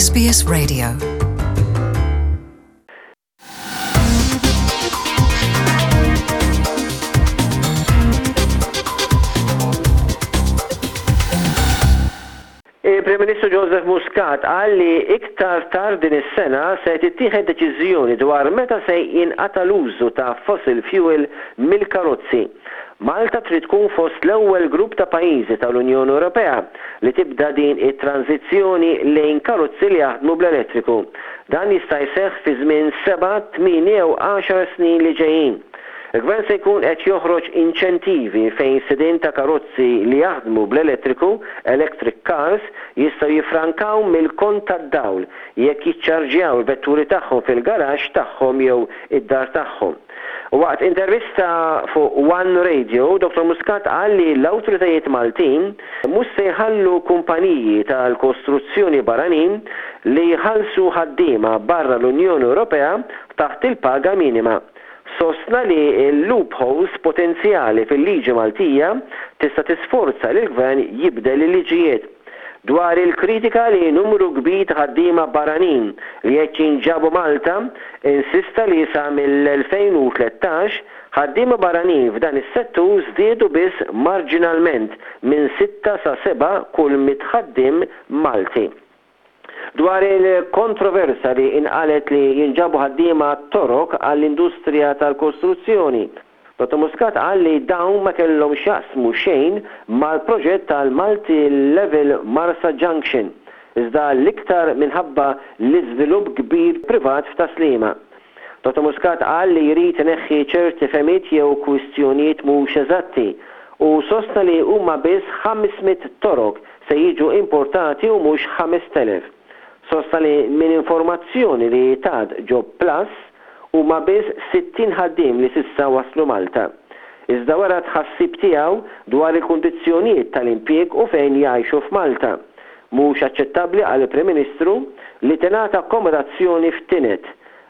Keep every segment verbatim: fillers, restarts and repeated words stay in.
S B S Radio. Il-Prim Ministru Joseph Muscat qal li iktar tard din is-sena se tittieħed deċiżjoni dwar meta se jinqata' l-użu ta' fossil fuel mill-karozzi. Malta trid tkun fost l-ewwel grupp ta' pajjiżi tal-Unjoni Ewropea li tibda din it-tranzizzjoni lejn karozzi li jaħdmu bl-elettriku. Dan jista' jseħħ fi żmien seba', tmien jew għaxar snin li ġejjin. Il-Gvern se jkun qed joħroġ inċentivi fejn sidien ta' karozzi li jaħdmu bl-elettriku, electric cars, jistgħu jifrankaw mill-kont tad-dawl jekk jiċċarġjaw il-vetturi tagħhom fil-garaxx tagħhom jew id-dar tagħhom. Waqt intervista fuq One Radio, Dottor Muscat qal li l-awtoritajiet Maltin mhux se jħallu kumpaniji tal-kostruzzjoni barranin li jħallsu ħaddiema barra l-Unjoni Ewropea taħt il-paga minima. Sostna li l-loopholes potenzjali fil-liġi Maltija tista' tisforza lill-Gvern jibdel il-liġijiet. Dwar il-kritika li numru kbir ta' ħaddiema barranin li qed jinġabu Malta, insista li sa mill-elfejn u tlettax ħaddiema barranin f'dan is-settur żdiedu biss marġinalment minn sitta sa seba' kull mitt ħaddiem Malti. Dwar il-kontroversa li inqalet li jinġabu ħaddiema Torok għall-industrija tal-kostruzzjoni, Dottor Muscat qal li dawn ma kellhom x'jaqsmu xejn mal-proġett tal-Multi Level Marsa Junction, iżda l-iktar minħabba l-iżvilupp kbir privat f'Tas-Sliema. Dottor Muscat qal li jrid ineħħi ċerti fehmiet jew kwistjonijiet mhux eżatti u sostna li huma biss ħames mitt Torok se jiġu importati u mhux ħamest elef. Sostna li minn informazzjoni li tat Job Plus huma biss sittin ħaddiem li s'issa waslu Malta. Iżda wara tħassib tiegħu dwar il-kundizzjonijiet tal-impjieg u fejn jgħixu f'Malta. Mhux aċċettabbli għal Prim Ministru li tingħata akkomodazzjoni f'tined.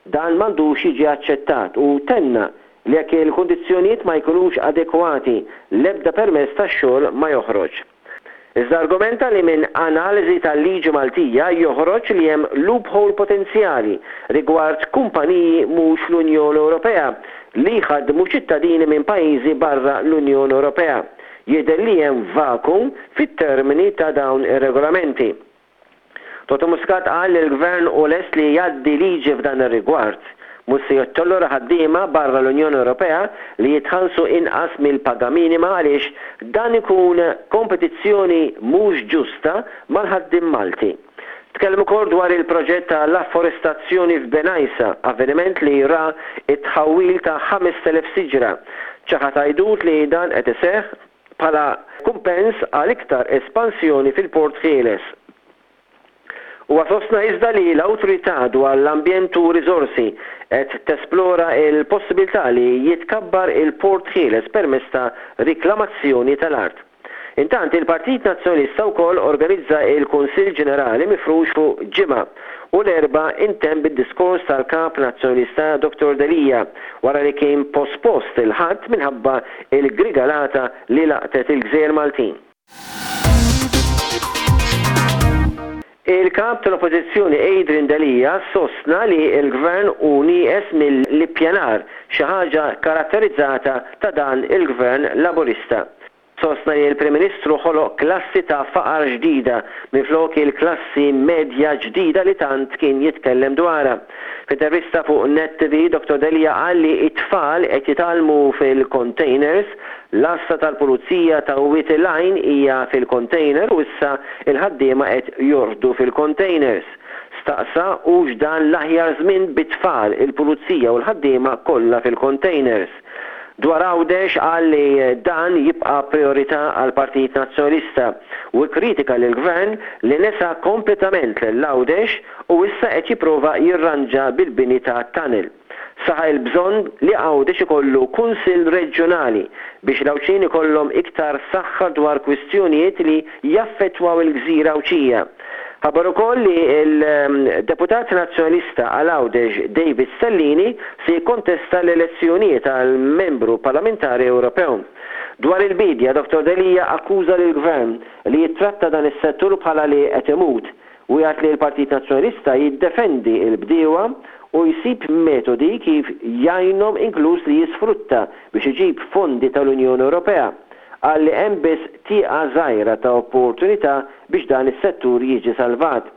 Dan m'għandux jiġi aċċettat u tenna li jekk il-kundizzjonijiet ma jkunux adekwati l-ebda permess tax-xogħol ma joħroġ. Iżda argumenta li minn analiżi tal-liġi Maltija joħroġ li hemm loophole potenzjali rigward kumpaniji mhux l-Unjoni Ewropea li jħaddmu ċittadini minn pajjiżi barra l-Unjoni Ewropea. Jidher li hemm vacuum fit-termini ta' dawn ir-regolamenti. Dottor Muscat qal li l-Gvern hu lest li jgħaddi liġi f'dan ir-rigward. Mhux se jittollera ħaddiema barra l-Unjoni Ewropea li jitħallsu inqas mill-paga minima għaliex dan ikun kompetizzjoni mhux ġusta mal-ħaddiem Malti. Tkellem ukoll dwar il-proġett tal-afforestazzjoni f'Bengħajsa, avveniment li ra it-tħawwil ta' ħamest elef siġra. Ċaħad għajdut li dan qed iseħħ bħala kumpens għal iktar espansjoni fil-Port Ħieles. Huwa sostna iżda li l-Awtorità dwar l-Ambjent u Riżorsi qed tesplora l-possibilità li jitkabbar il-Port Ħieles permezz ta' riklamazzjoni tal-art. Intant il-Partit Nazzjonalista wkoll organizza il-Kunsill Ġenerali mifrux fuq ġimgħa u l-Erbgħa intemm bid-diskors tal-Kap Nazzjonalista Dottor Delia wara li kien pospost il-Ħadd minħabba il-grigalata li laqtet il-Gżejjer Maltin. Il-kap tal-Oppożizzjoni Adrian Delia sostna li l-Gvern hu nieqes mill-ippjanar, xi ħaġa karatterizzata ta' dan il-Gvern Laburista. Sostna li l-Prim Ministru ħoloq klassi ta' faqar ġdida minflok il-klassi medja ġdida li tant kien jitkellem dwarha. F'intervista fuq Net T V, Dottor Delia qal li t-tfal qed jitgħallmu fil-containers, l-għassa tal-pulizija ta' Wied il-Għajn hija fil-container u issa il-ħaddiema qed jorqdu fil-containers. Staqsa hux dan l-aħjar żmien bit-tfal, il-pulizija u l-ħaddiema kollha fil-containers. Dwar Għawdex qal li dan jibqa' priorità għal Partit Nazzjonalista u kritika lill-Gvern li nesa kompletament lil Għawdex u issa qed jipprova jirranġa bil-bini ta' tunnel. Saħa il-bżonn li Għawdex ikollu kunsill reġjonali biex l-Għawdxin ikollhom iktar saħħa dwar kwistjonijiet li jaffettwaw il-gżira Għawdxija. Ħabbar ukoll li l-deputat nazzjonalista għal Għawdex David Stellini se jikkontesta l-elezzjonijiet għal membru parlamentari Ewropew. Dwar il-bidja, Dottor Delia akkuża lill-Gvern li jittratta dan is-settur bħala li qed imut. Wiegħed li l-Partit Nazzjonalista jiddefendi l-bdiewa u jsib metodi kif jgħinhom, inkluż li jisfrutta biex iġib fondi tal-Unjoni Ewropea. Qal li hemm biss tieqa żgħira ta' opportunità biex dan is-settur jiġi salvat.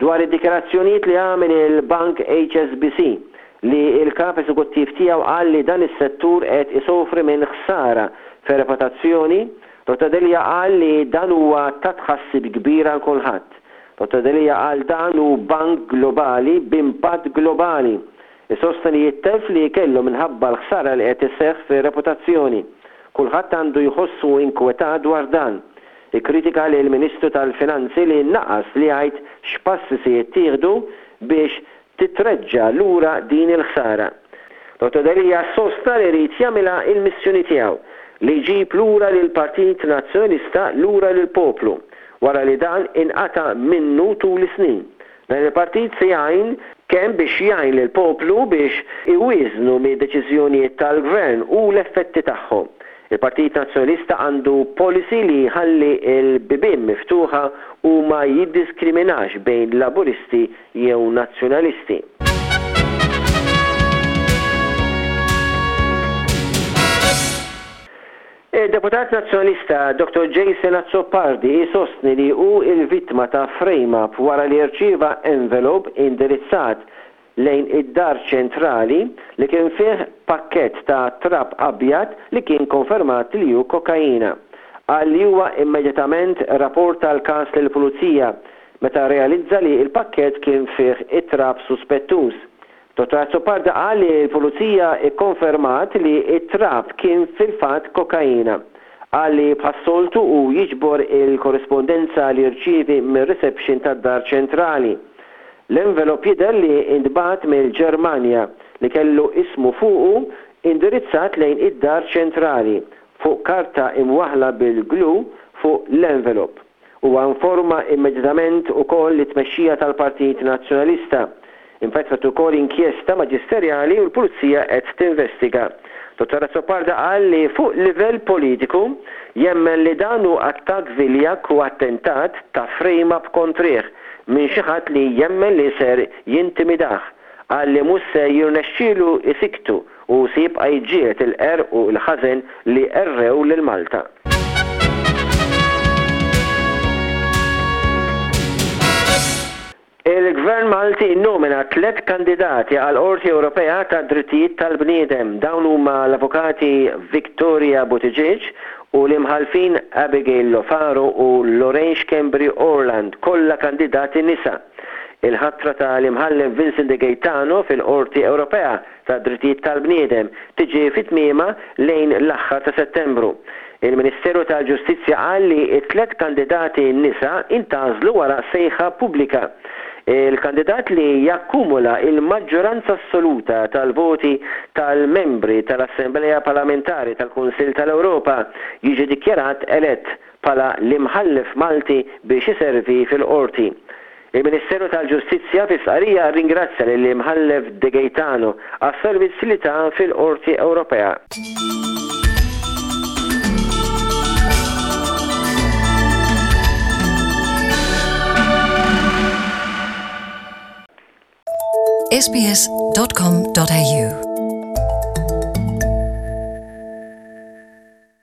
Dwar id-dikjarazzjonijiet li għamel il-Bank H S B C, li l-kap eżekuttiv tiegħu qal li dan is-settur qed isofri minn ħsara fir-reputazzjoni, Dottor Delia qal li dan huwa ta' tħassib kbir għal kulħadd. Dottor Delia qal dan hu bank globali b'impatt globali. Isostni li t-telf li kellu minħabba l-ħsara li qed isseħħ fir-reputazzjoni. Kulħadd għandu jħossu inkwetat dwar dan. Ikkritika li l-Ministru tal-Finanzi li naqas li jgħid x'passi se jittieħdu biex titreġġa lura din il-ħsara. Dottor Delia sostna li jrid jagħmilha il-missjoni tiegħu li jġib lura lil Partit Nazzjonalista lura lil poplu wara li dan inqata minnu tul is-snin. Dan il-partit se jgħin kemm biex jgħin lil poplu biex iwieżnu mid-deċiżjonijiet tal-gvern u l-effetti tagħhom. Il-Partit Nazzjonalista għandu policy li jħalli il-bibien miftuħa u ma jiddiskriminax bejn laburisti jew nazzjonalisti. Il-deputat nazzjonalista Dottor Jason Azzopardi jisostni li hu il-vittma ta' frame-up wara li rċieva envelope indirizzat lejn id-Dar Ċentrali li kien fih pakket ta' trab abjad li kien konfermat li hu kokaina. Qal li huwa immedjatament rapporta l-każ lill-pulizija meta realizza li il-pakket kien fih it-trab suspettuż. Dottor Azzopardi qal li l-pulizija ikkonfermat li it-trab kien fil-fatt kokaina. Qal li bħas-soltu u jiġbor il-korrespondenza li rċievi mir-reception tad-Dar Ċentrali. L-envelop jidher li intbagħat mill-Ġermanja, li kellu ismu fuqu indirizzat lejn id-Dar Ċentrali fuq karta imwaħla bil-glue fuq l-envelop. Huwa informa immedjatament ukoll it-tmexxija tal-Partit Nazzjonalista. Infetħet ukoll inkjesta maġisterjali u l-Pulizija qed tinvestiga. Dottor Azzopardi qal li fuq livell politiku jemmen li dan hu attakk viljak u attentat ta' frame-up kontrih minn xi ħadd li jemmen li ser jintimidah. Qal li mhux se jirnexxielu isiktu u se jibqa' jiġġieled il-qerq u l-ħażen li għerrew lil Malta. Il-Gvern Malti nomina tlet kandidati għal Qorti Ewropea ta' Drittijiet tal-Bniedem. Dawn huma l-avukati Victoria Buttigieg u l-imħalfin Abigail Lofaro u Lorraine Schembri Orland, kollha kandidati nisa. Il-ħatra tal-imħallef Vincent De Gaetano fil-Qorti Ewropea ta' Drittijiet tal-Bniedem tiġi fit-tmiema lejn l-aħħar ta' Settembru. Il-Ministeru tal-Ġustizzja qal li t-tlet kandidati nisa intgħażlu wara sejħa pubblika. Il-kandidat li jakkumula il-maġġoranza assoluta tal-voti tal-membri tal-Assembleja Parlamentari tal-Kunsill tal-Ewropa jiġi dikjarat elett bħala l-imħallef Malti biex iservi fil-qorti. Il-Ministeru tal-Ġustizzja fi stqarrija ringrazzja lill-imħallef De Gaetano għas-servizz li ta fil-Qorti Ewropea. S B S dot com dot A U.